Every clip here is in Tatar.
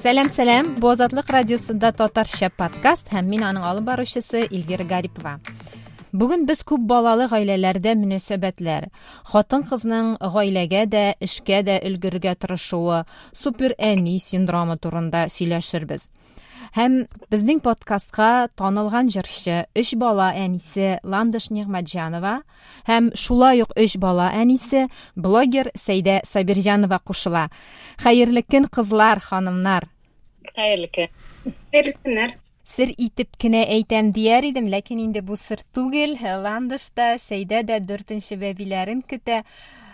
Сәлам, сәлам. Бу Азатлык радиосында татарча подкаст һәм мин аның алып баручысы Эльвира Гарипова. Бүген без күп балалы гаиләләрдә мөнәсәбәтләр, хатын-кызның гаиләгә дә, эшкә дә өлгерергә тырышуы, супер әни синдромы турында сөйләшербез. Һәм безнең подкастка танылган җырчы, өч бала әнисе Ландыш Нигъмәтҗанова һәм шулай ук өч бала әнисе, блогер Сәйдә Сабирҗанова кушыла. Хәерле көн, кызлар, ханымнар! Хәерле көн. Хәерле көннәр. Сер итеп кенә әйтәм дияр идем, ләкин инде бу сер түгел. Ландыш та, Сәйдә дә дүртенче бәбиләрен көтә.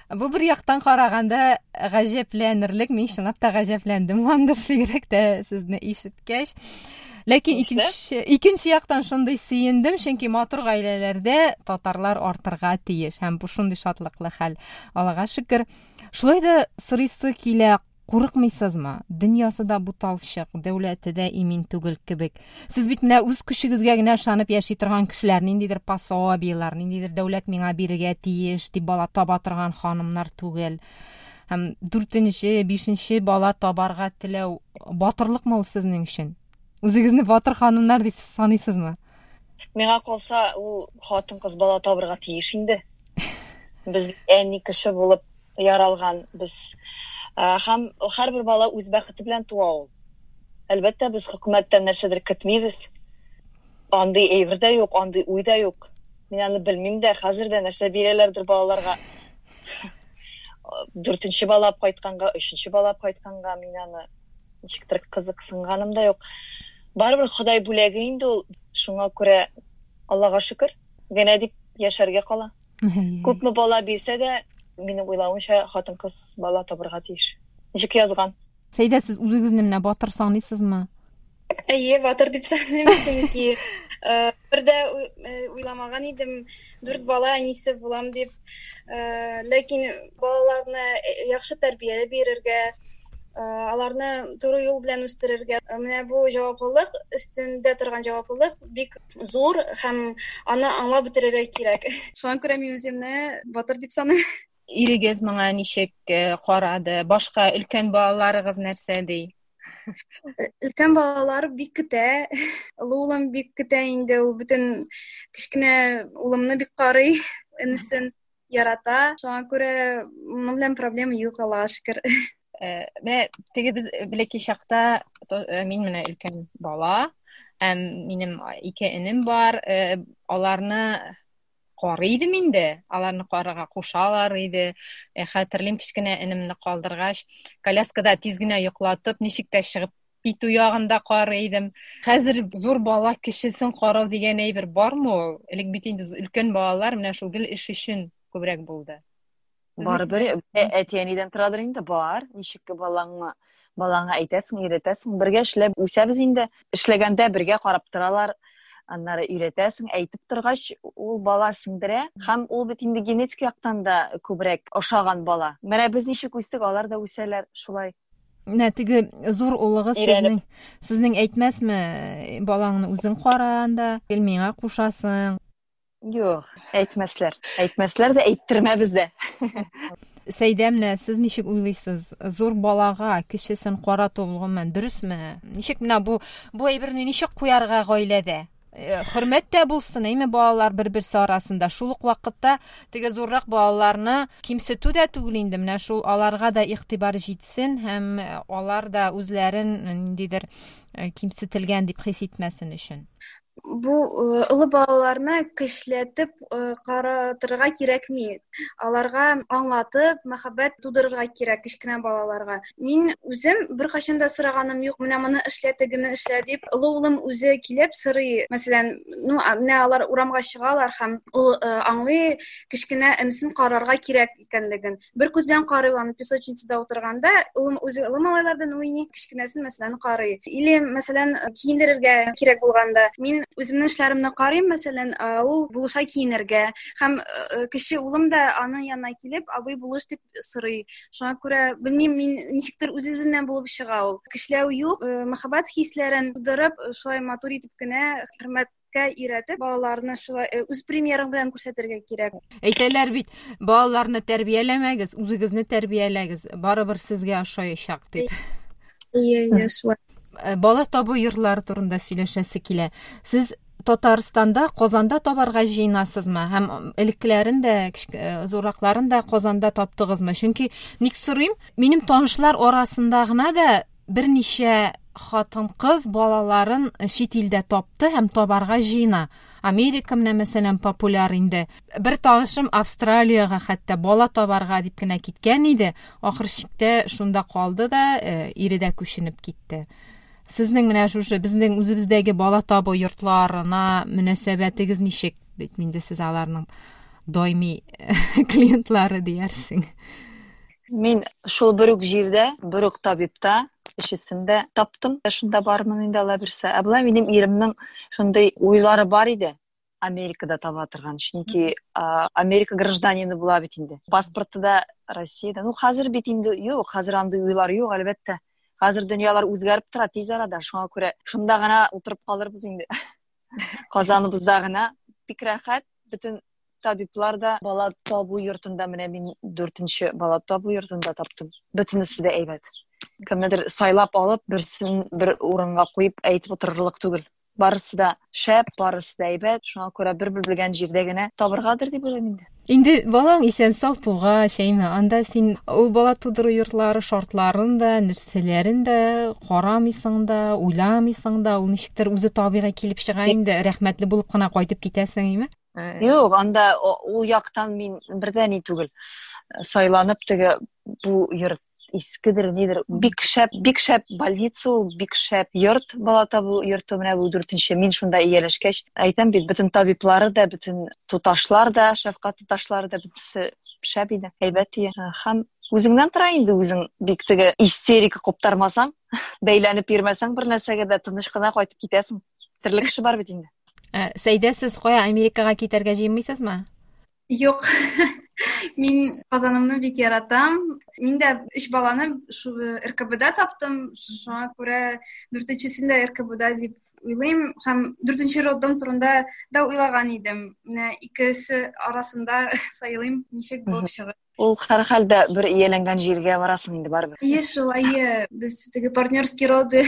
Бу бер яктан караганда гаҗәпләнерлек, мин чынлап та гаҗәпләндем, Ландыш, бигрәк тә сезне ишеткәч. Ләкин икенче яктан шундый сөендем, чөнки матур гаиләләрдә татарлар артырга тиеш һәм бу шундый шатлыклы хәл. Аллага шөкер. Шулай да сорыйсы килә, Курыкмыйсызмы? Дөньясы да буталчык, дәүләте дә имин түгел кебек. Сез бит менә үз көчегезгә генә ышанып яши торган кешеләр, ниндидер пособиеләр, ниндидер дәүләт миңа бирергә тиеш дип бала таба торган ханымнар түгел. Һәм дүртенче, бишенче бала табарга теләү батырлыкмы ул сезнең өчен? Үзегезне батыр ханымнар дип саныйсызмы? Миңа калса, ул хатын-кыз бала табырга тиеш инде. Без әни кеше булып яралган без. Һәм һәрбер бала үз бәхете белән туа ул. Әлбәттә, без хөкүмәттән нәрсәдер көтмибез. Андый әйбер дә юк, андый уй да юк. Мин аны белмим дә, хәзер дә нәрсә бирәләрдер балаларга. Дүртенче бала алып кайтканга, өченче бала алып кайтканга мин аны ничектер кызыксынганым да юк. Барыбер Ходай бүләге инде ул. Шуңа күрә Аллага шөкер генә дип яшәргә кала. Күпме бала бирсә дә, минем уйлавымча, хатын-кыз бала табырга тиеш. Ничек язган. Сәйдә, сез үзегезне менә батыр саныйсызмы? Әйе, батыр дип саныйм, чөнки э, бер дә э, уйламаган идем, дүрт бала әнисе булам дип. Э, ләкин балаларны яхшы тәрбия бирергә, аларны туры юл белән үстерергә. Менә бу җаваплылык, өстендә торган җаваплылык бик зур һәм аны аңлап бетерергә кирәк. Шуңа күрә мин үземне батыр дип саныйм. Ирегез моңа ничек э, карады? Башка өлкән балаларыгыз нәрсә ди? Э, өлкән балалар бик көтә. Олы улым бик көтә инде. Ул бөтен кечкенә улымны бик карый, энесен ярата. Шуңа күрә моның белән проблема юк, Аллага шөкер. Э, менә теге без бәләкәй чакта э, мин менә өлкән бала, һәм минем ике энем бар, э, аларны карый идем инде, аларны карарга кушалар иде. Хәтерлим, кечкенә энемне калдыргач, коляскада тиз генә йоклатып, ничек тә чыгып китү ягында карый идем. Хәзер зур бала кечесен карау дигән әйбер бармы ул? Элек бит инде өлкән балалар менә шул гел эш өчен күбрәк булды. Барыбер әти-әнидән торадыр инде, бар. Ничек балаңа балаңа әйтәсең, өйрәтәсең. Бергә эшләп үсәбез инде. Эшләгәндә бергә карап торалар. Аннары өйрәтәсең, әйтеп торгач, ул бала сеңдерә. Һәм ул бит инде генетик яктан да күбрәк ошаган бала. Менә без ничек үстек, алар да үсәләр шулай. Менә теге зур улыгыз сезнең сезнең әйтмәсме, балаңны үзең кара анда, гел миңа кушасың. Юк, әйтмәсләр. Әйтмәсләр дә, әйттермәбез дә. Сәйдә, менә сез ничек уйлыйсыз, зур балага кечесен карату гомумән дөресме? Ничек менә бу бу әйберне ничек куярга гаиләдә? Э, хөрмәт тә булсын, әйме балалар бер-берсе арасында. Шул ук вакытта теге зуррак балаларны кимсетү дә түгел инде, менә шул аларга да игътибар җитсен һәм э, алар да үзләрен ниндидер э, кимсетелгән дип хис итмәсен өчен. Бу э, олы балаларны көчләтеп э, каратырга кирәкми. Аларга аңлатып, мәхәббәт тудырырга кирәк кечкенә балаларга. Мин үзем беркайчан да сораганым юк, менә моны эшлә, тегене эшлә дип. Олы улым үзе килеп сорый. Мәсәлән, ну, менә алар урамга чыгалар һәм ул э, аңлый, кечкенә энесен карарга кирәк икәнлеген. Бер күз белән карый аны песочницада утырганда, улым үзе олы малайлар белән уйный, кечкенәсен, мәсәлән, карый. Или, мәсәлән, киендерергә кирәк булганда, мин үземнең эшләремне карыйм, мәсәлән, ул булыша киенергә. Һәм э, кече улым да аның янына килеп, абый булыш дип сорый. Шуңа күрә, белмим, мин ничектер үз-үзеннән булып чыга ул. Көчләү юк, э, мәхәббәт хисләрен тудырып, шулай матур итеп кенә хөрмәт өйрәтеп, балаларны шулай э, үз примерың белән күрсәтергә кирәк. Әйтәләр бит, балаларны тәрбияләмәгез, үзегезне тәрбияләгез, барыбер сезгә ошаячак дип. Әйе, әйе, шулай. Бала табу йортлары турында сөйләшәсе килә. Сез Татарстанда, Казанда табарга җыенасызмы? Һәм элеккеләрен дә, зурракларын да Казанда таптыгызмы? Чөнки ник сорыйм, минем танышлар арасында гына да берничә хатын-кыз балаларын чит илдә тапты һәм табарга җыена. Америка менә, мәсәлән, популяр инде. Бер танышым Австралиягә хәтта бала табарга дип кенә киткән иде. Ахыр чиктә шунда калды да, ире дә күченеп китте. Сезнең менә шушы безнең үзебездәге бала табу йортларына мөнәсәбәтегез ничек? Бит инде сез аларның даими клиентлары диярсең. Мин шул бер үк җирдә, бер үк табибта өчесен дә таптым. Шунда бармын инде Алла бирсә. Ә болай минем иремнең шундый уйлары бар иде. Америкада таба торган. Чөнки Америка гражданины була бит инде. Паспорты да Россиядә. Ну, хәзер бит инде юк, хәзер андый уйлар юк, әлбәттә. Хәзер дөньялар үзгәреп тора тиз арада. Шуңа күрә шунда гына утырып калырбыз инде. Казаныбызда гына бик рәхәт, бөтен табиблар да бала табу йортында, менә мин дүртенче бала табу йортында таптым. Бөтенесе дә әйбәт. Кемнедер сайлап алып, берсен бер урынга куеп әйтеп утырырлык түгел. Барысы да шәп, барысы да әйбәт. Шуңа күрә бер белгән җирдә генә табыргадыр дип уйлыйм инде. Инде балаң исән-сау тугач, әйме, анда син ул бала тудыру йортлары шартларын да, нәрсәләрен дә карамыйсың да, уйламыйсың да, ул ничектер үзе табигый килеп чыга инде, рәхмәтле булып кына кайтып китәсең, әйме? Юк, анда ул яктан мин бердә ни түгел. Сайланып теге бу йорт искедер, нидер. Бик шәп, бик шәп больница ул, бик шәп йорт, бала табу йорты, менә бу дүртенче. Мин шунда ияләшкәч, әйтәм бит, бөтен табиблары да, бөтен туташлар да, шәфкать туташлары да, бөтенесе шәп иде, әйбәт иде. Һәм үзеңнән тора инде, үзең бик теге истерика куптармасаң, бәйләнеп йөрмәсәң бер нәрсәгә дә, тыныч кына кайтып китәсең. Төрле кеше бар бит инде. Сәйдә, сез кая, Америкага китәргә җыенмыйсызмы? Юк. Мин Казанымны бик яратам. Мин дә өч баланы шул РКБда таптым. Шуңа күрә дүртенчесен дә РКБда дип уйлыйм. Һәм дүртенче роддом турында да уйлаган идем. Менә икесе арасында сайлыйм, ничек булып чыгар. Ул һәрхәлдә бер ияләнгән җиргә барасың инде барыбер. Әйе шул, әйе. Без теге партнерские роды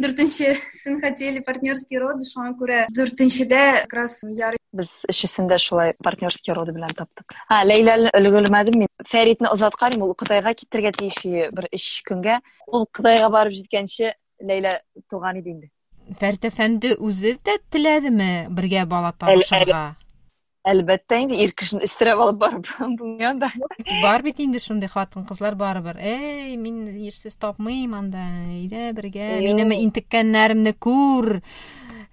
дүртенчесен хотели партнерские роды, шуңа күрә дүртенчедә как раз ярый. Без өчесен дә шулай партнерские роды белән таптык. А, Ләйләне өлгермәдем мин. Фәритне озаткан идем, ул Кытайга китәргә тиеш иде бер өч көнгә. Ул Кытайга барып җиткәнче Ләйлә туган иде инде. Фәрит әфәнде үзе дә теләдеме бергә бала табышырга? Әлбәттә инде, ир кешене өстерәп алып барып булмый анда. Бар бит инде шундый хатын-кызлар барыбер. Эй, мин ирсез тапмыйм анда. Әйдә бергә, минем интеккәннәремне күр.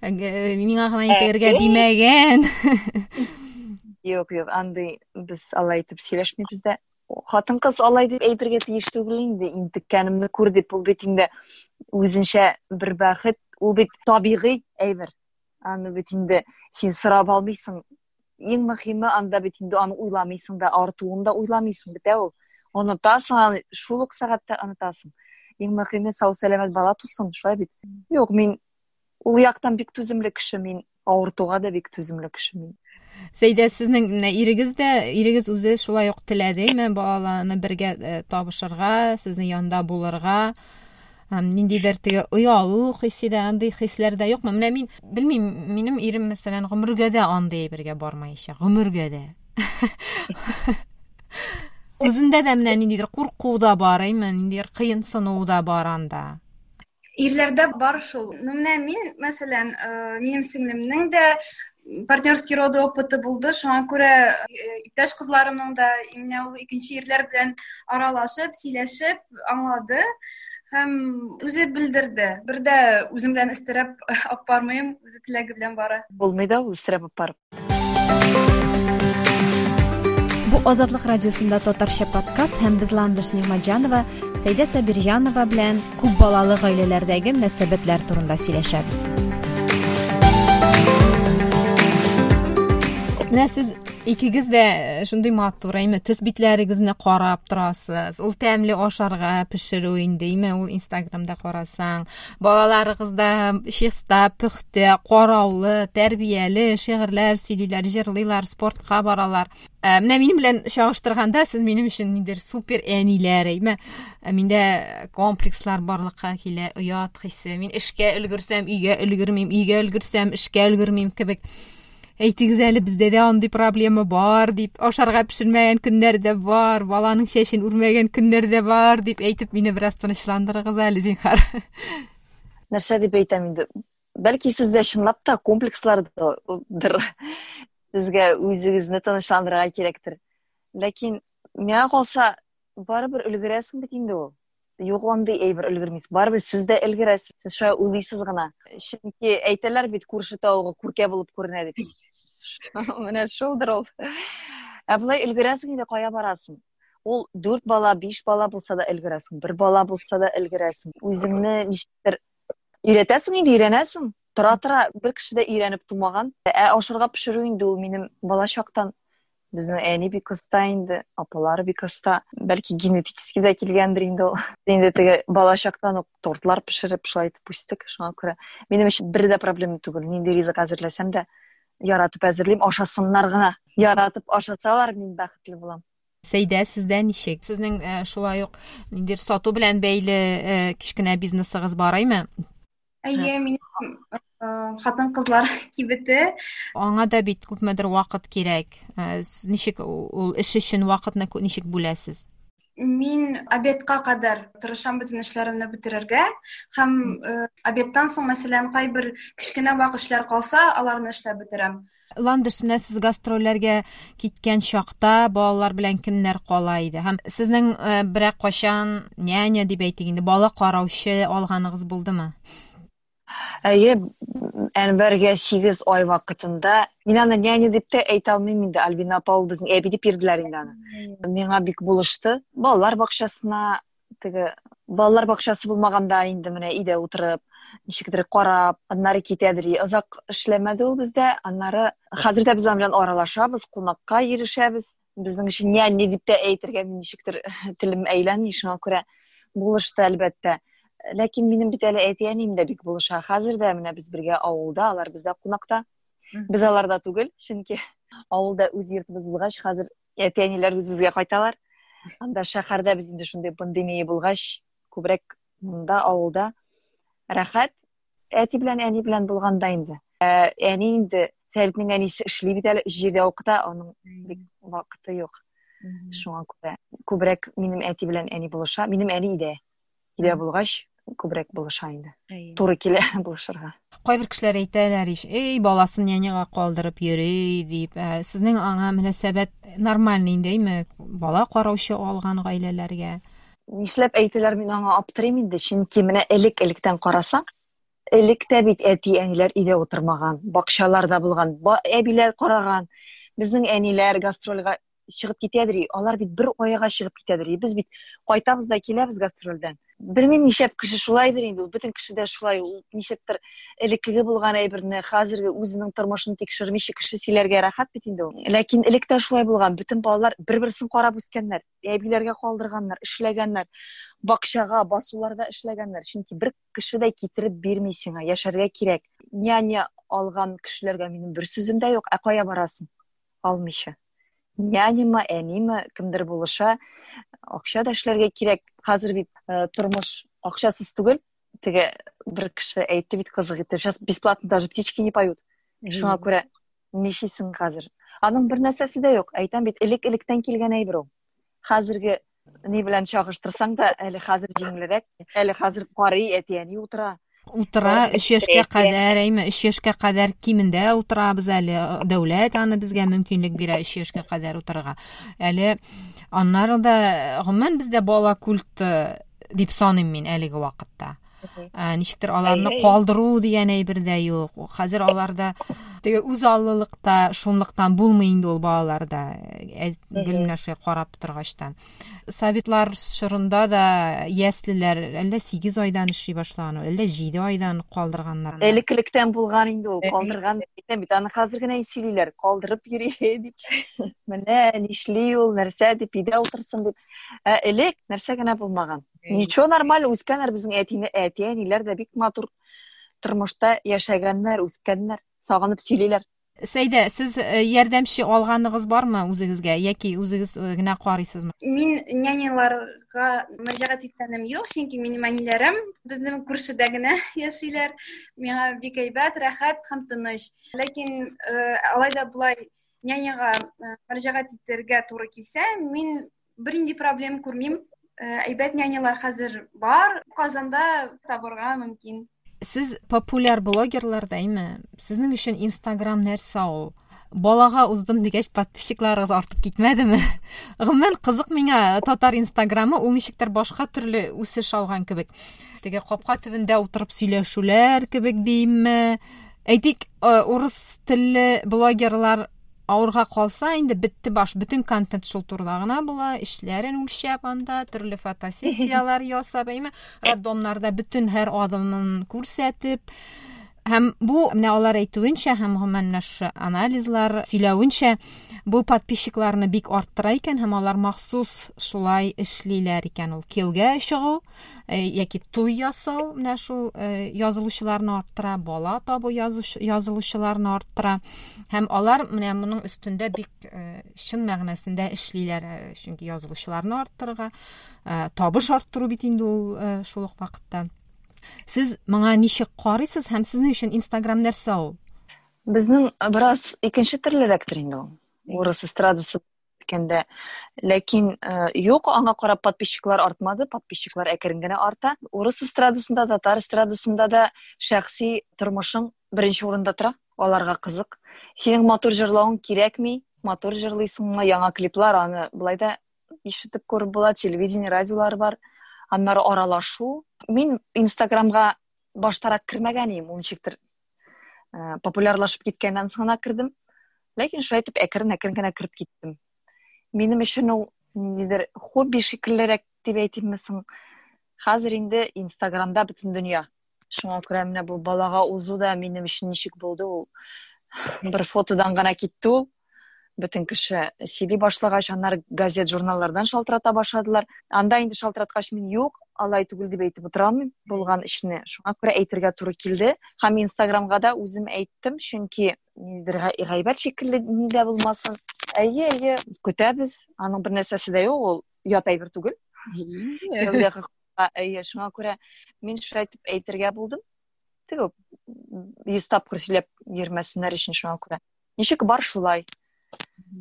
Миңа гына интегергә димәгән. Юк, юк, андый без алай итеп сөйләшмибез дә. Хатын-кыз алай дип әйтергә тиеш түгел инде, интеккәнемне күр дип, ул бит инде үзенчә бер бәхет, ул бит табигый әйбер. Аны бит инде син сорап алмыйсың. Иң мөһиме анда бит инде аны уйламыйсың да, артуын да уйламыйсың, бетә ул. Онытасың аны, шул ук сәгатьтә онытасың. Иң мөһиме сау-сәламәт бала тусын, шулай бит. Юк, мин ул яктан бик түземле кеше мин, авыртуга да бик түземле кеше мин. Сәйдә, сезнең менә ирегез дә, ирегез үзе шулай ук теләдеме балаларны бергә табышырга, сезнең янда булырга? Ниндидер теге оялу хисе дә, андый хисләр дә юкмы? Менә мин белмим, минем ирем, мәсәлән, гомергә дә андый әйбергә бармаячак, гомергә дә. Үзендә дә менә ниндидер курку да бар, әйме, ниндидер кыенсыну да бар анда. Ирләрдә бар шул. Ну, менә мин, мәсәлән, минем сеңлемнең дә партнерский роды опыты булды, шуңа күрә иптәш кызларымның да, менә ул икенче ирләр белән аралашып, сөйләшеп аңлады һәм үзе белдерде. Бер дә үзем белән өстерәп алып бармыйм, үзе теләге белән бара. Булмый да ул өстерәп алып барып. Бу Азатлык радиосында татарча подкаст һәм без Ландыш Нигъмәтҗанова, Сәйдә Сабирҗанова белән күп балалы гаиләләрдәге мөнәсәбәтләр турында сөйләшәбез. Менә сез Икегез дә шундый матур, әйме, төс битләрегезне карап торасыз. Ул тәмле ашарга пешерү инде, әйме, ул Инстаграмда карасаң. Балаларыгыз да чиста, пөхтә, караулы, тәрбияле, шигырьләр сөйлиләр, җырлыйлар, спортка баралар. Менә минем белән чагыштырганда, сез минем өчен ниндидер супер әниләр, әйме. Миндә комплекслар барлыкка килә, оят хисе. Мин эшкә өлгерсәм, өйгә өлгермим, өйгә өлгерсәм, эшкә өлгермим кебек. Әйтегез әле, бездә дә андый проблема бар дип, ашарга пешермәгән көннәр дә бар, баланың чәчен үрмәгән көннәр дә бар дип әйтеп, мине бераз тынычландырыгыз әле, зинһар. Нәрсә дип әйтәм инде? Бәлки сездә чынлап та комплекслардыр. Сезгә үзегезне тынычландырырга кирәктер. Ләкин миңа калса, барыбер өлгерәсең бит инде ул. Юк андый әйбер өлгермисез. Барыбер сез дә өлгерәсез. Сез шулай уйлыйсыз гына. Чөнки әйтәләр бит, күрше тавыгы күркә булып күренә дип. Менә шулдыр ул. Ә болай өлгерәсең инде, кая барасың? Ул дүрт бала, биш бала булса да өлгерәсең, бер бала булса да өлгерәсең. Үзеңне ничектер өйрәтәсең инде, өйрәнәсең. Тора-тора бер кеше дә өйрәнеп тумаган. Ә ашарга пешерү инде ул минем бала чактан. Безнең әни бик оста инде, апалар бик оста. Бәлки генетически дә килгәндер инде ул. Инде теге бала чактан ук тортлар пешереп, шулай итеп үстек. Шуңа күрә минем өчен бер дә проблема түгел. Нинди ризык әзерләсәм дә, яратып әзерлим, ашасыннар гына. Яратып ашасалар, мин бәхетле булам. Сәйдә, сездә ничек? Сезнең шулай ук ниндидер сату белән бәйле кечкенә бизнесыгыз бар, әйме? Әйе, минем хатын-кызлар кибете. Аңа да бит күпмедер вакыт кирәк. Ничек ул эш өчен вакытны ничек бүләсез? Мин обедка кадәр тырышам бөтен эшләремне бетерергә һәм обедтан соң, мәсәлән, кайбер кечкенә вак эшләр калса, аларны эшләп бетерәм. Ландыш, менә сез гастрольләргә киткән чакта балалар белән кемнәр кала иде? Һәм сезнең берәр кайчан няня дип әйтик инде, бала караучы алганыгыз булдымы? Әйе, Әнвәргә 8 ай вакытында, мин аны няня дип тә әйтә алмыйм инде, Альбина апа ул безнең әби дип йөрделәр инде аны. Миңа бик булышты. Балалар бакчасына теге балалар бакчасы булмаганда инде менә өйдә утырып, ничектер карап, аннары китәдер. Озак эшләмәде ул бездә. Аннары хәзер дә без аның белән аралашабыз, кунакка йөрешәбез. Безнең өчен няня дип тә әйтергә мин ничектер телем әйләнми, шуңа күрә булышты, әлбәттә. Ләкин минем бит әле әти-әнием дә бик булыша. Хәзер дә менә без бергә авылда, алар бездә кунакта. Без аларда түгел, чөнки авылда үз йортыбыз булгач, хәзер әти-әниләр үзебезгә кайталар. Анда шәһәрдә без инде шундый пандемия булгач, күбрәк монда авылда рәхәт. Әти белән әни белән булганда инде. Ә, әни инде Фәритнең әнисе эшли бит әле, җирдә укыта, аның бик вакыты юк. Шуңа күрә күбрәк минем әти белән әни булыша. Минем әни өйдә. Өйдә булгач, күбрәк булыша инде. Туры килә булышырга. Кайбер кешеләр әйтәләр ич, эй, баласын няняга калдырып йөри дип. Ә, сезнең аңа мөнәсәбәт нормальный инде, әйме? Бала караучы алган гаиләләргә. Нишләп әйтәләр, мин аңа аптырыйм инде, чөнки менә элек-электән карасаң, элек тә бит әти-әниләр өйдә утырмаган, бакчаларда булган, әбиләр караган. Безнең әниләр гастрольгә чыгып китәдер, алар бит бер айга чыгып китәдер. Без бит кайтабыз да киләбез гастрольдән. Белмим, нишләп кеше шулайдыр инде, ул бөтен кеше дә шулай, ул нишләптер элеккеге булган әйберне, хәзерге үзенең тормышын тикшермичә кеше сөйләргә рәхәт бит инде ул. Ләкин элек тә шулай булган, бөтен балалар бер-берсен карап үскәннәр, әбиләргә калдырганнар, эшләгәннәр, бакчага, басуларда эшләгәннәр. Чөнки бер кеше дә китереп бирми сиңа, яшәргә кирәк. Няня алган кешеләргә минем бер сүзем дә юк, ә кая барасың? Алмыйча. Няняма, әниме, кемдер булыша. Акча да эшләргә кирәк. Хәзер бит тормыш акчасыз түгел. Теге бер кеше әйтте бит кызык итеп, сейчас бесплатно даже птички не поют. Шуңа күрә нишлисең хәзер? Аның бер нәрсәсе дә юк. Әйтәм бит, элек-электән килгән әйбер ул. Хәзерге ни белән чагыштырсаң да, әле хәзер җиңелрәк, әле хәзер карый, әти-әни утыра. Утыра, 3 яшькә кадәр, әйме, 3 яшькә кадәр кимендә утырабыз әле. Дәүләт аны безгә мөмкинлек бирә 3 яшькә кадәр утырырга. Әле аннары да, гомумән, бездә бала культы дип саныйм мин әлеге вакытта. Ничектер аларны калдыру дигән әйбер дә юк. Хәзер аларда Теге үзаллылык та шунлыктан булмый инде ул балаларда. Гел менә шулай карап торгачтан. Советлар чорында да яслеләр әллә 8 айдан эшли башлаган, әллә 7 айдан калдырганнар. Элек-электән булган инде ул, калдырган әйтәм бит, аны хәзер генә сөйлиләр, калдырып йөри дип. Менә нишли ул, нәрсә дип, өйдә утырсын дип. Ә элек нәрсә генә булмаган. Ничего, нормально үскәннәр безнең әтине, әти-әниләр дә бик матур тормышта яшәгәннәр, үскәннәр, сагынып сөйлиләр. Сәйдә, сез э, ярдәмче алганыгыз бармы үзегезгә яки үзегез э, генә карыйсызмы? Мин няняларга мөрәҗәгать иткәнем юк, чөнки минем әниләрем безнең күршедә генә яшиләр. Миңа бик әйбәт, рәхәт һәм тыныч. Ләкин э, алай да болай няняга мөрәҗәгать итәргә туры килсә, мин бернинди проблем күрмим. Әйбәт нянялар хәзер бар, Казанда табырга мөмкин. Сез популяр блогерлар да, әйме? Сезнең өчен Инстаграм нәрсә ул? Балага уздым дигәч, подписчикларыгыз артып китмәдеме? Гомумән, кызык миңа татар Инстаграмы, ул ничектер башка төрле үсеш алган кебек. Теге капка төбендә утырып сөйләшүләр кебек димме? Әйтик, урыс телле блогерлар авырга калса, инде бетте баш, бөтен контент шул турыда гына була, эшләрен үлчәп анда, төрле фотосессияләр ясап, әйме, роддомнарда бөтен һәр адымын күрсәтеп. Һәм бу, менә алар әйтүенчә, һәм гомумән менә шушы анализлар сөйләвенчә, бу подписчикларны бик арттыра икән, һәм алар махсус шулай эшлиләр икән. Ул кияүгә чыгу, Э, яки туй ясау менә шул э, язылучыларны арттыра, бала табу язылучыларны арттыра. Һәм алар менә моның өстендә бик э, чын мәгънәсендә эшлиләр, чөнки язылучыларны арттырырга, табыш арттыру бит инде ул шул ук вакытта. Сез моңа ничек карыйсыз һәм сезнең өчен Инстаграм нәрсә ул? Безнең бераз икенче төрлерәктер инде ул. Урыс эстрадасы әйткәндә. Ләкин э, юк, аңа карап подписчиклар артмады, подписчиклар әкрен генә арта. Урыс эстрадасында, татар эстрадасында да шәхси тормышың беренче урында тора. Аларга кызык. Синең матур җырлавың кирәкми, матур җырлыйсыңмы, яңа клиплар, аны былай да ишетеп күреп була, телевидение, радиолар бар. Аннары аралашу. Мин Инстаграмга баштарак кермәгән идем, ул ничектер э, популярлашып киткәннән соң гына кердем. Ләкин шулай итеп әкрен-әкрен генә кереп киттем. Минем өчен ул ниндидер хобби шикеллерәк дип әйтимме соң. Хәзер инде Инстаграмда бөтен дөнья. Шуңа күрә менә бу балага узу да минем өчен ничек булды ул. Бер фотодан гына китте ул. Бөтен кеше сөйли башлагач, аннары газет, журналлардан шалтырата башладылар. Анда инде шалтыраткач, мин юк, алай түгел дип әйтеп утыра алмыйм булган эшне. Шуңа күрә әйтергә туры килде. Һәм Инстаграмга да үзем әйттем, чөнки ниндидер гайбәт шикелле ни дә булмасын. Әйе, әйе, көтәбез. Аның бер нәрсәсе дә юк, ул ят әйбер түгел. Әйе, шуңа күрә мин шулай итеп әйтергә булдым. Теге 100 тапкыр сөйләп йөрмәсеннәр өчен шуңа күрә. Ничек бар шулай.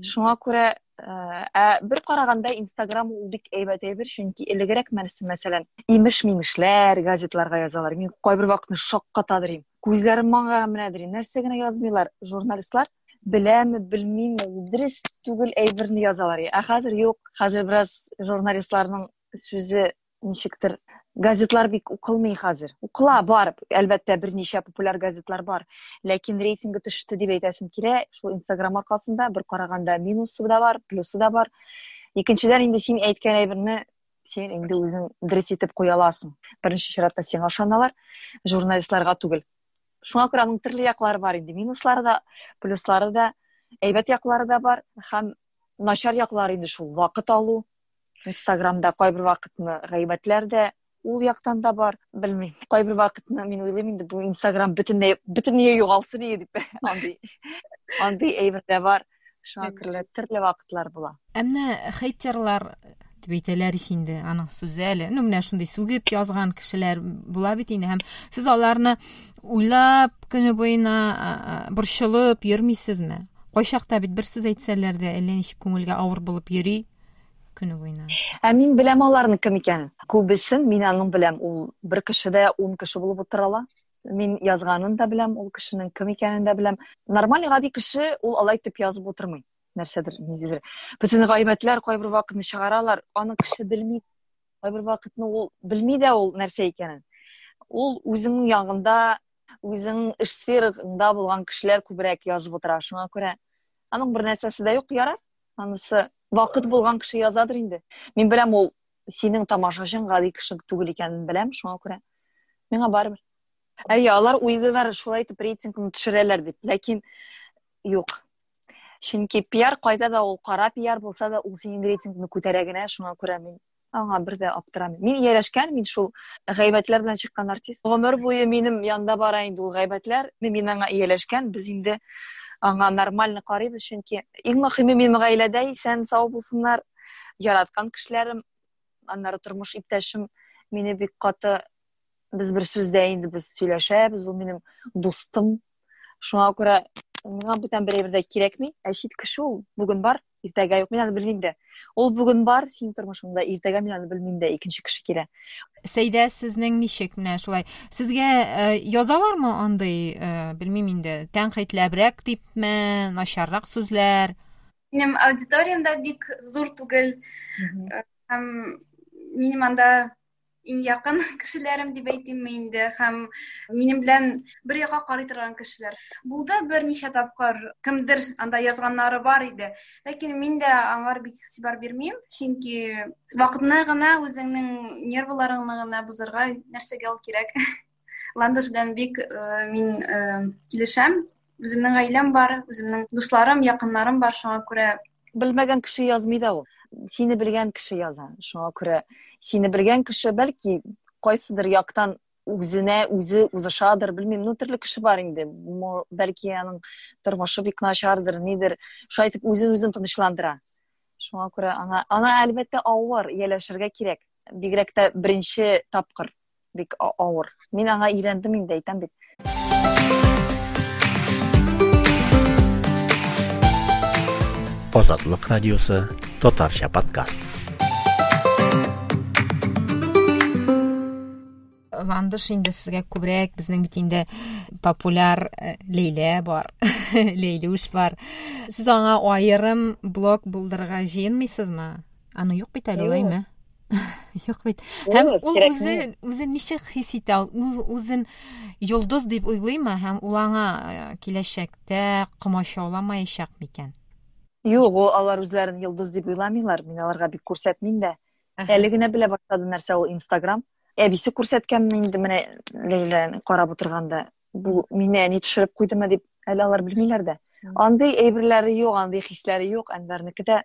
Шуңа күрә ә бер караганда Инстаграм ул бик әйбәт әйбер, чөнки элегрәк мәсәлән, имеш-мимешләр газетларга язалар. Мин кайбер вакытны шаккатадыр идем. Күзләрем маңгайга менәдер. Нәрсә генә язмыйлар журналистлар. Беләме, белмиме, ул дөрес түгел әйберне язалар. Ә хәзер юк. Хәзер бераз журналистларның сүзе ничектер газетлар бик укылмый хәзер. Укыла бар, әлбәттә, берничә популяр газетлар бар. Ләкин рейтингы төште дип әйтәсем килә. Шул Инстаграм аркасында бер караганда минусы да бар, плюсы да бар. Икенчедән инде син әйткән әйберне син инде үзең дөрес итеп куя аласың. Беренче чиратта сиңа ышаналар, журналистларга түгел. Шуңа күрә аның төрле яклары бар инде. Минуслары да, плюслары да, әйбәт яклары да бар һәм начар яклары инде шул вакыт алу. Инстаграмда кайбер вакытны гайбәтләр дә ул яктан да бар. Белмим. Кайбер вакытны мин уйлыйм инде бу Инстаграм бөтенләй бөтенләй югалсын иде дип. Андый андый әйбер дә бар. Шуңа күрә төрле вакытлар була. Ә менә хейтерлар дип әйтәләр ич инде, аның сүзе әле. Ну, менә шундый сүгеп язган кешеләр була бит инде һәм сез аларны уйлап көне буена борчылып йөрмисезме? Кайчакта бит бер сүз әйтсәләр дә әллә ничек күңелгә авыр булып йөри көне буена. Ә мин беләм аларның кем икәнен. Күбесен мин аның беләм. Ул бер кеше дә 10 кеше булып утыра ала. Мин язганын да беләм, ул кешенең кем икәнен дә беләм. Нормаль гади кеше ул алай итеп язып утырмый. Нәрсәдер, ниндидер. Бөтен гайбәтләр кайбер вакытны чыгаралар, аны кеше белми. Кайбер вакытны ул белми дә ул нәрсә икәнен. Ул үзенең ягында. Үзең эш сфераңда булган кешеләр күбрәк язып утыра. Шуңа күрә аның бер нәрсәсе дә юк, ярар. Анысы вакыт булган кеше язадыр инде. Мин беләм ул синең тамашачың гади кеше түгел икәнен беләм, шуңа күрә миңа барыбер. Әйе, алар уйлыйлар шулай итеп рейтингны төшерәләр дип, ләкин юк. Чөнки пиар кайда да ул кара пиар булса да, ул синең рейтингны күтәрә генә, шуңа күрә мин аңа бер дә аптырамыйм. Мин ияләшкән, мин шул гайбәтләр белән чыккан артист. Гомер буе минем янда бара инде ул гайбәтләр. Мин аңа ияләшкән, без инде аңа нормально карыйбыз, чөнки иң мөһиме минем гаиләдә исән сау булсыннар, яраткан кешеләрем, аннары тормыш иптәшем мине бик каты без бер сүздә инде без сөйләшәбез, ул минем дустым. Шуңа күрә миңа бүтән бер әйбер дә кирәкми. Ә чит кеше ул бүген бар, иртәгә юк, мин аны белмим дә. Ул бүген бар синең тормышыңда, иртәгә мин аны белмим дә, икенче кеше килә. Сәйдә, сезнең ничек менә шулай? Сезгә язалармы андый, белмим инде, тәнкыйтьләбрәк дипме, начаррак сүзләр? Минем аудиториям да бик зур түгел. Һәм минем анда иң якын кешеләрем дип әйтимме инде һәм минем белән бер якка карый торган кешеләр. Булды берничә тапкыр кемдер анда язганнары бар иде. Ләкин мин дә аңар бик игътибар бирмим, чөнки вакытны гына үзеңнең нервыларыңны гына бозарга нәрсәгә ул кирәк. Ландыш белән бик мин килешәм. Үземнең гаиләм бар, үземнең дусларым, якыннарым бар, шуңа күрә белмәгән кеше язмый да ул. Сине белгән кеше яза. Шуңа күрә сине белгән кеше бәлки кайсыдыр яктан үзенә үзе узышадыр, белмим. Ну, төрле кеше бар инде. Бәлки аның тормышы бик начардыр, нидер. Шулай итеп үзен үзен тынычландыра. Шуңа күрә аңа, аңа әлбәттә авыр ияләшергә кирәк. Бигрәк тә беренче тапкыр бик авыр. Мин аңа өйрәндем инде, әйтәм бит. Азатлык радиосы татарча подкаст. Ландыш инде сезгә күбрәк безнең бит инде популяр Ләйлә бар, Ләйлүш бар. Сез аңа аерым блог булдырырга җыенмыйсызмы? Аны юк бит әле, алаймы? Юк бит. Һәм ул үзе үзен ничек хис итә? Ул үзен йолдыз дип уйлыймы һәм ул аңа киләчәктә комачауламаячак микән? Юк, ул алар үзләрен йолдыз дип уйламыйлар. Мин аларга бик күрсәтмим дә. Әле генә белә башлады нәрсә ул Инстаграм. Әбисе күрсәткәнме инде менә Ләйләне карап утырганда, бу мине әни төшереп куйдымы дип, әле алар белмиләр дә. Андый әйберләре юк, андый хисләре юк. Әнвәрнеке дә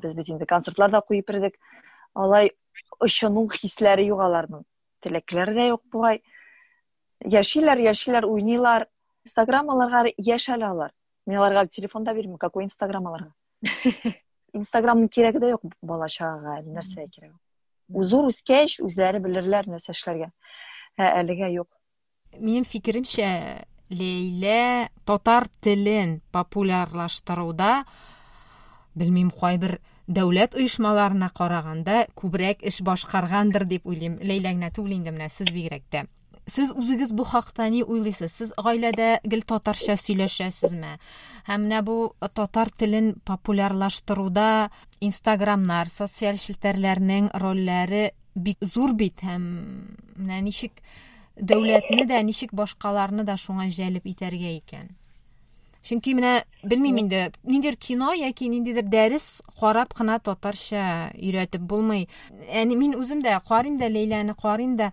без бит инде концертлар да куеп йөрдек. Алай очыну хисләре юк аларның. Теләкләре дә юк бугай. Яшиләр, яшиләр, уйныйлар. Инстаграм аларга яшь әле алар. Мин аларга телефон да бирмим, какой Инстаграм аларга? Инстаграмның кирәге дә юк бала чагага, әле нәрсәгә кирәк? Зур үскәч, үзләре белерләр нәрсә эшләргә. Ә әлегә юк. Минем фикеремчә, Ләйлә татар телен популярлаштыруда, белмим, кайбер дәүләт оешмаларына караганда күбрәк эш башкаргандыр дип уйлыйм. Ләйлә генә түгел инде, менә сез бигрәк тә. Сез үзегез бу хакта ни уйлыйсыз? Сез гаиләдә гел татарча сөйләшәсезме? Һәм менә бу татар телен популярлаштыруда Инстаграмнар, социаль челтәрләрнең рольләре бик зур бит һәм менә ничек дәүләтне дә, ничек башкаларны да шуңа җәлеп итәргә икән? Чөнки менә белмим инде, ниндидер кино яки ниндидер дәрес карап кына татарча өйрәтеп булмый. Әни мин үзем дә карыйм да Ләйләне карыйм да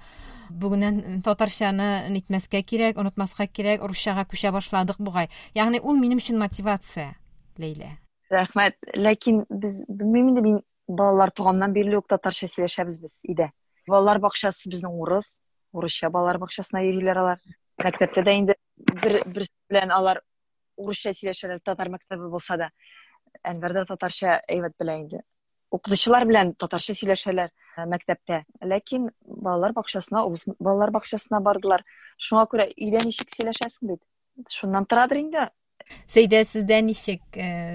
бүгеннән татарчаны нитмәскә кирәк, онытмаска кирәк, русчага күчә башладык бугай. Ягъни ул минем өчен мотивация, Ләйлә. Рәхмәт. Ләкин без белмим инде мин балалар туганнан бирле үк татарча сөйләшәбез без өйдә. Балалар бакчасы безнең урыс, урысча балалар бакчасына йөриләр алар. Мәктәптә дә инде бер берсе белән алар урысча сөйләшәләр, татар мәктәбе булса да. Әнвәр дә татарча әйбәт белә инде. Укытучылар белән татарча сөйләшәләр мәктәптә. Ләкин балалар бакчасына, урыс балалар бакчасына бардылар. Шуңа күрә өйдә ничек сөйләшәсең бит. Шуннан торадыр инде. Сәйдә, сездә ничек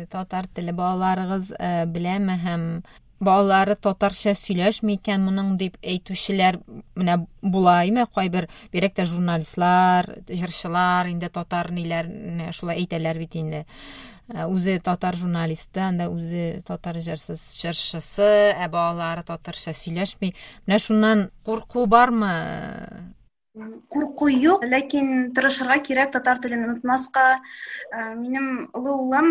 татар теле балаларыгыз беләме һәм балалары татарча сөйләшми икән моның дип әйтүчеләр менә була име кайбер, бигрәк тә журналистлар, җырчылар инде татар ниләрне шулай әйтәләр бит инде. Үзе татар журналисты, анда үзе татар җырчысы, ә балалары татарча сөйләшми. Менә шуннан курку бармы? Курку юк, ләкин тырышырга кирәк татар телен онытмаска. Минем олы улым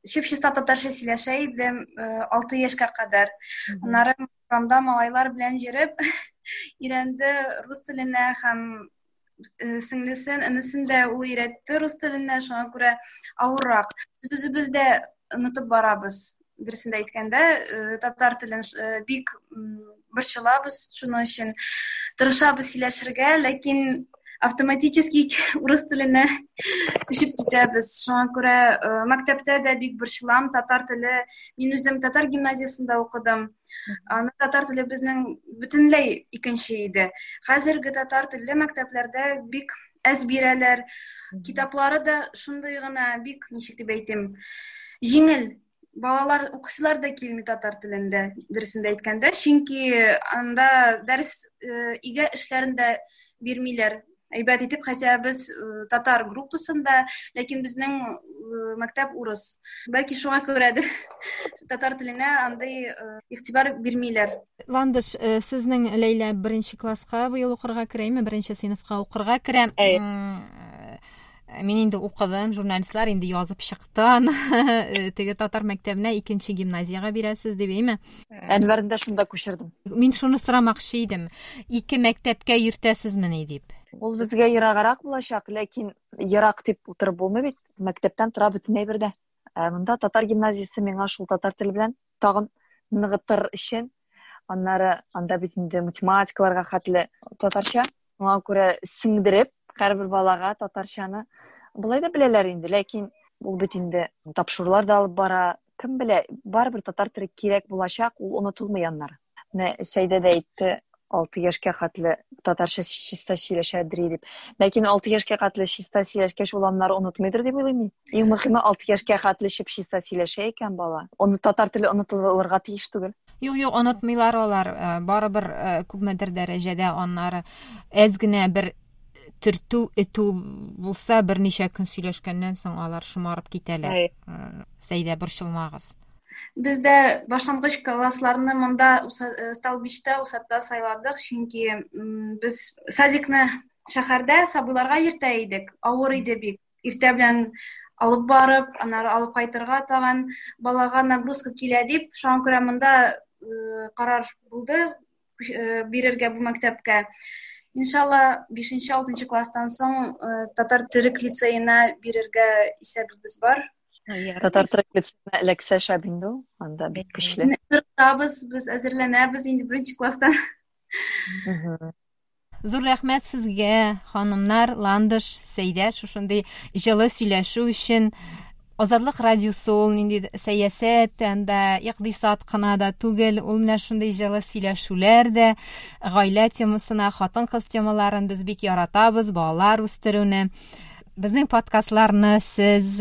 чип-чиста татарча сөйләшә иде 6 яшькә кадәр. Аннары урамда малайлар белән йөреп өйрәнде рус теленә һәм сеңлесен, энесен дә ул өйрәтте рус теленә, шуңа күрә авыррак. Без үзебез дә онытып барабыз. Дөресен дә әйткәндә, татар телен бик борчылабыз, шуның өчен тырышабыз сөйләшергә, ләкин автоматически урыс теленә күчеп китәбез. Шуңа күрә мәктәптә дә бик борчылам, татар теле. Мин үзем татар гимназиясендә укыдым. Аны татар теле безнең бөтенләй икенче иде. Хәзерге татар телле мәктәпләрдә бик әз бирәләр. Китаплары да шундый гына бик, ничек дип әйтим, җиңел. Балалар укысылар да килми татар телендә, дөресен дә әйткәндә, чөнки анда дәрес өйгә эшләрен дә бирмиләр. Әйбәт итеп, хотя без татар группасында, ләкин безнең мәктәп урыс. Бәлки шуңа күрәдер татар теленә андый игътибар бирмиләр. Ландыш, сезнең Ләйлә беренче класска быел укырга керәме, беренче сыйныфка укырга керә. Мин инде укыдым, журналистлар инде язып чыкты аны. Теге татар мәктәбенә икенче гимназиягә бирәсез дип, әйме? Әнвәрне дә шунда күчердем. Мин шуны сорамакчы идем. Ике мәктәпкә йөртәсезмени дип. Ул безгә ераграк булачак, ләкин ерак дип утырып булмый бит. Мәктәптән тора бөтенләй бердә. Ә монда татар гимназиясе миңа шул татар теле белән тагын ныгытыр өчен. Аннары анда бит инде математикаларга хәтле татарча. Шуңа күрә сеңдереп һәрбер балага татарчаны болай да беләләр инде, ләкин ул бит инде тапшырулар да алып бара. Кем белә, барыбер татар теле кирәк булачак, ул онытылмый аннары. Менә Сәйдә дә әйтте, 6 яшькә хәтле татарча чиста сөйләшәдер дип. Ләкин 6 яшькә хәтле чиста сөйләшкәч, ул аннары онытмыйдыр дип уйлыйм мин. Иң мөһиме 6 яшькә хәтле чип-чиста сөйләшә икән бала. Оны татар теле онытылырга тиеш түгел. Юк, юк, онытмыйлар алар. Барыбер күпмедер дәрәҗәдә аннары әз генә бер төртү, этү булса, берничә көн сөйләшкәннән соң алар шомарып китәләр. Сәйдә, борчылмагыз. Без дә башлангыч классларны монда Столбичта, Усатта сайладык, чөнки без садикны шәһәрдә сабыйларга йөртә идек. Авыр иде бик. Иртә белән алып барып, аннары алып кайтырга тагын балага нагрузка килә дип, шуңа күрә монда карар булды бирергә бу мәктәпкә. Иншалла, 5-6 класстан соң татар төрек лицеена бирергә исәбебез бар. Татар төрек лицеена эләксә шәп инде ул, анда бик көчле. Тырышабыз, без әзерләнәбез инде беренче класстан. Зур рәхмәт сезгә, ханымнар, Ландыш, Сәйдә, шушындый җылы сөйләшү өчен. Азатлык радиосы ул нинди сәясәт, анда икътисад кына да түгел, ул менә шундый җылы сөйләшүләр дә, гаилә темасына, хатын-кыз темаларын без бик яратабыз, балалар үстерүне. Безнең подкастларны сез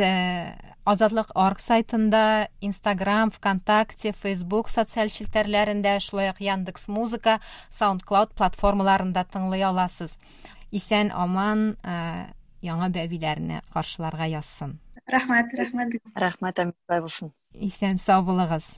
Азатлык орг сайтында, Instagram, ВКонтакте, Facebook социаль челтәрләрендә, шулай ук Яндекс Музыка, SoundCloud платформаларында тыңлый аласыз. Исән аман яңа бәбиләрне каршыларга язсын. Рәхмәт, рәхмәт. Рәхмәт, әмин, булсын. Исән сау булыгыз.